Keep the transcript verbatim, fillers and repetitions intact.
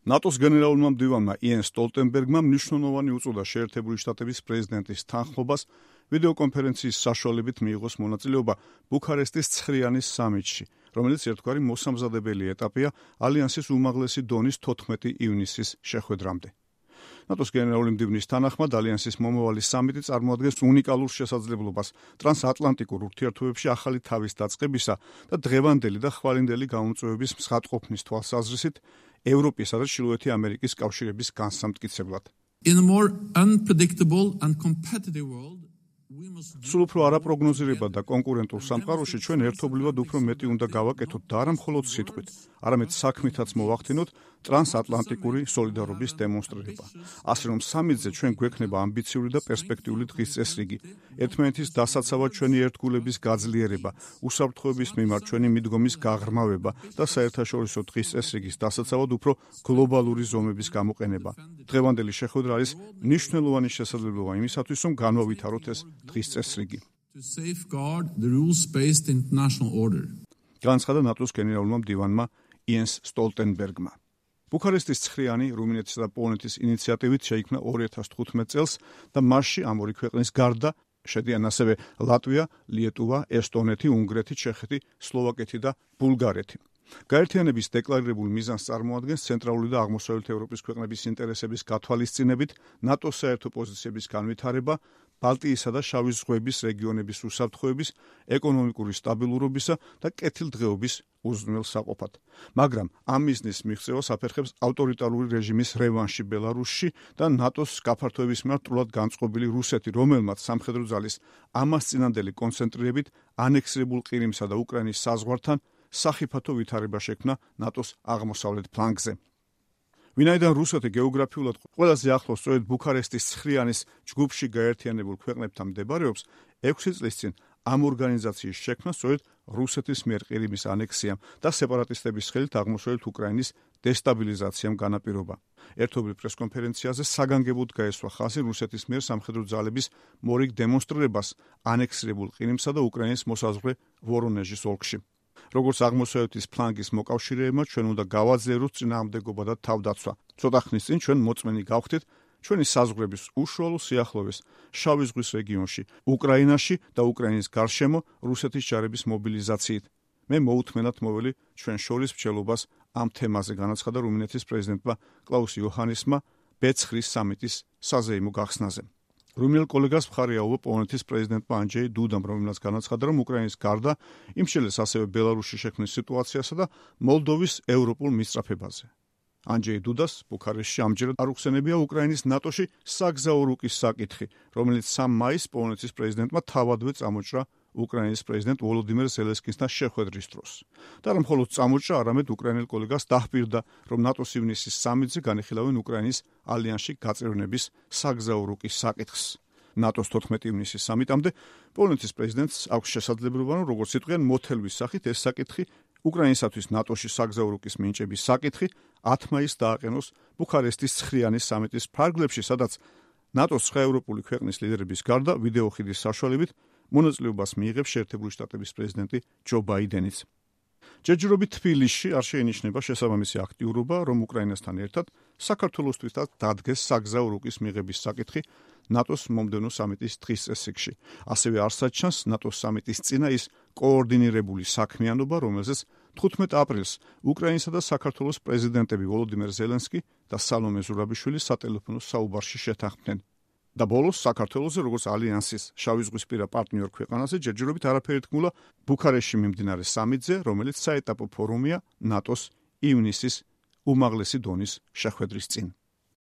ნატოს გენერალურმა მდივანმა იენს სტოლტენბერგმა მნიშვნელოვანი უწოდა შეერთებული შტატების პრეზიდენტის თანხმობას ვიდეოკონფერენციის საშუალებით მიიღოს მონაწილეობა ბუქარესტის ცხრიანის სამიტში, რომელიც ერთგვარი მოსამზადებელი ეტაპია ალიანსის უმაღლესი დონის თოთხმეტი ივნისის შეხვედრამდე. ნატოს გენერალური მდივნის თანახმად ალიანსის მომავალი სამიტი წარმოადგენს უნიკალურ შესაძლებლობას ტრანსატლანტიკურ ურთიერთობებში ახალი თავის დაწყებისა და დღევანდელი და ხვალინდელი გამომწვევების მსხატყოფნის თვალსაზრისით ევროპისა და ჩრდილოეთი ამერიკის კავშირების განსამტკიცებლად. In a more unpredictable and competitive world, სულ უფრო არაპროგნოზირებად და კონკურენტულ სამყაროში ჩვენ ერთობლივად უფრო მეტი უნდა გავაკეთოთ და არა მხოლოდ სიტყვით, არამედ საქმითაც მოვახდინოთ ტრანსატლანტიკური სოლიდარობის დემონსტრირება. ასე რომ სამიტზე ჩვენ გვექნება ამბიციური და პერსპექტიული დღის წესრიგი, ერთმანეთის დასაცავად ჩვენი ერთგულების გაძლიერება, უსაფრთხოების მიმართ ჩვენი მიდგომის გაღრმავება და საერთაშორისო დღის წესრიგის დასაცავად უფრო გლობალური ზომების გამოყენება. დღევანდელი შეხვედრა არის მნიშვნელოვანი შესაძლებლობა იმისათვის, რომ განვავითაროთ ეს დღის წესრიგი. განაცხადა ნატოს გენერალურმა მდივანმა იენს სტოლტენბერგმა. ბუქარესტის ცხრიანი რუმინეთის და პოლონეთის ინიციატივით შეიქმნა ორი ათას თხუთმეტ წელს და მასში ამ ორი ქვეყნის გარდა შედიან ასევე ლატვია, ლიეტუვა, ესტონეთი, უნგრეთი, ჩეხეთი, სლოვაკეთი და ბულგარეთი. გაერთიანების დეკლარირებულ მიზანს წარმოადგენს ცენტრალური და აღმოსავლეთ ევროპის ქვეყნების ინტერესების გათვალისწინებით ნატოს საერთო პოზიციების განვითარება, ბალტიისა და შავი ზღვების რეგიონების უსაფრთხოების, ეკონომიკური სტაბილურობისა და კეთილდღეობის უზრუნველსაყოფად. მაგრამ ამ მიზნის მიღწევას აფერხებს ავტორიტარული რეჟიმის რევანში ბელარუსში და ნატოს გაფართოების მიმართ სრულად განწყობილი რუსეთი, რომელმაც სამხედრო ძალის ამასწინანდელი კონცენტრირებით ანექსირებულ ყირიმსა და უკრაინის საზღვართან სახიფათო ვითარება შექმნა ნატოს აღმოსავლეთ ფლანგზე. ვინაიდან რუსეთი გეოგრაფიულად ყველაზე ახლოს სწორედ ბუქარესტის ცხრიანის ჯგუფში გაერთიანებულ ქვეყნებთან მდებარეობს, ექვსი წლის წინ ამ ორგანიზაციის შექმნა სწორედ რუსეთის მიერ ყირიმის ანექსიამ და სეპარატისტების ხელით აღმოსავლეთ უკრაინის დესტაბილიზაციამ განაპირობა. ერთობლივ პრესკონფერენციაზე საგანგებოდ გაესვა ხაზი რუსეთის მიერ სამხედრო ძალების მორიგ დემონსტრირებას ანექსირებულ ყირიმსა და უკრაინის მოსაზღვრე ვორონეჟის ოლქში. როგორც აღმოსავლეთის ფლანგის მოკავშირეებმა ჩვენ უნდა გავაძლიეროთ წინააღმდეგობა და თავდაცვა. ცოტა ხნის წინ ჩვენ მოწმენი გავხდით ჩვენი საზღვრების უშუალო სიახლოვეს შავი ზღვის რეგიონში, უკრაინაში და უკრაინის გარშემო რუსეთის ჯარების მობილიზაციით. მე მოუთმენად მოველი ჩვენ შორის მსჯელობას ამ თემაზე, განაცხადა რუმინეთის პრეზიდენტმა კლაუს იოჰანესმა ბეცხრის სამიტის საზეიმო გახსნაზე. რუმინელ კოლეგას მხარი აუვა პოლონეთის პრეზიდენტმა ანჯეი დუდამ, რომელმაც განაცხადა, რომ უკრაინის გარდა იმშელეს ასევე ბელარუსში შექმნის სიტუაციასა და მოლდოვის ევროპულ მისწრაფებაზე. ანჯეი დუდას ბუქარესტში ამჯერად არ უხსენებია უკრაინის ნატოში საგზაო რუკის საკითხი, რომელიც სამ მაისს პოლონეთის პრეზიდენტმა თავადვე წამოჭრა უკრაინის პრეზიდენტ ვოლოდიმერ ზელენსკისთან შეხვედრის დროს. და არა მხოლოდ წამოჭრა, არამედ უკრაინელ კოლეგას დაჰპირდა, რომ ნატოს ივნისის სამიტზე განიხილავენ უკრაინის ალიანსში გაწევრიანების საგზაო რუკის საკითხს. ნატოს თოთხმეტი ივნისის სამიტამდე პოლონეთის პრეზიდენტს აქვს შესაძლებლობა, რომ როგორც იტყვიან მოთელვის სახით ეს საკითხი უკრაინისათვის ნატოში საგზაო რუკის მინიჭების საკითხი ათი მაისს დააყენოს ბუქარესტის ცხრიანის სამიტის ფარგლებში, სადაც ნატოს სხვა ევროპული ქვეყნის ლიდერების გარდა ვიდეოხიდის საშუალებით მონაწილეობას მიიღებს შეერთებული შტატების პრეზიდენტი ჯო ბაიდენიც. ჯერჯერობით თბილისში არ შეინიშნება შესაბამისი აქტიურობა, რომ უკრაინასთან ერთად საქართველოსთვისაც დადგეს საგზაო რუკის მიღების საკითხი ნატოს მომდევნო სამიტის დღის წესრიგში. ასევე არსად ჩანს ნატოს სამიტის წინა ის კოორდინირებული საქმიანობა, რომელზეც თხუთმეტ აპრილს უკრაინისა და საქართველოს პრეზიდენტები ვოლოდიმერ ზელენსკი და სალომე ზურაბიშვილი სატელეფონო საუბარში შეთანხმდნენ. და ბოლოს საქართველოზე როგორც ალიანსის შავიზღვისპირა პარტნიორ ქვეყანაზე ჯერჯერობით არაფერი თქმულა ბუქარესტში მიმდინარე სამიტზე, რომელიც საეტაპო ფორუმია ნატოს ივნისის უმაღლესი დონის შეხვედრის წინ.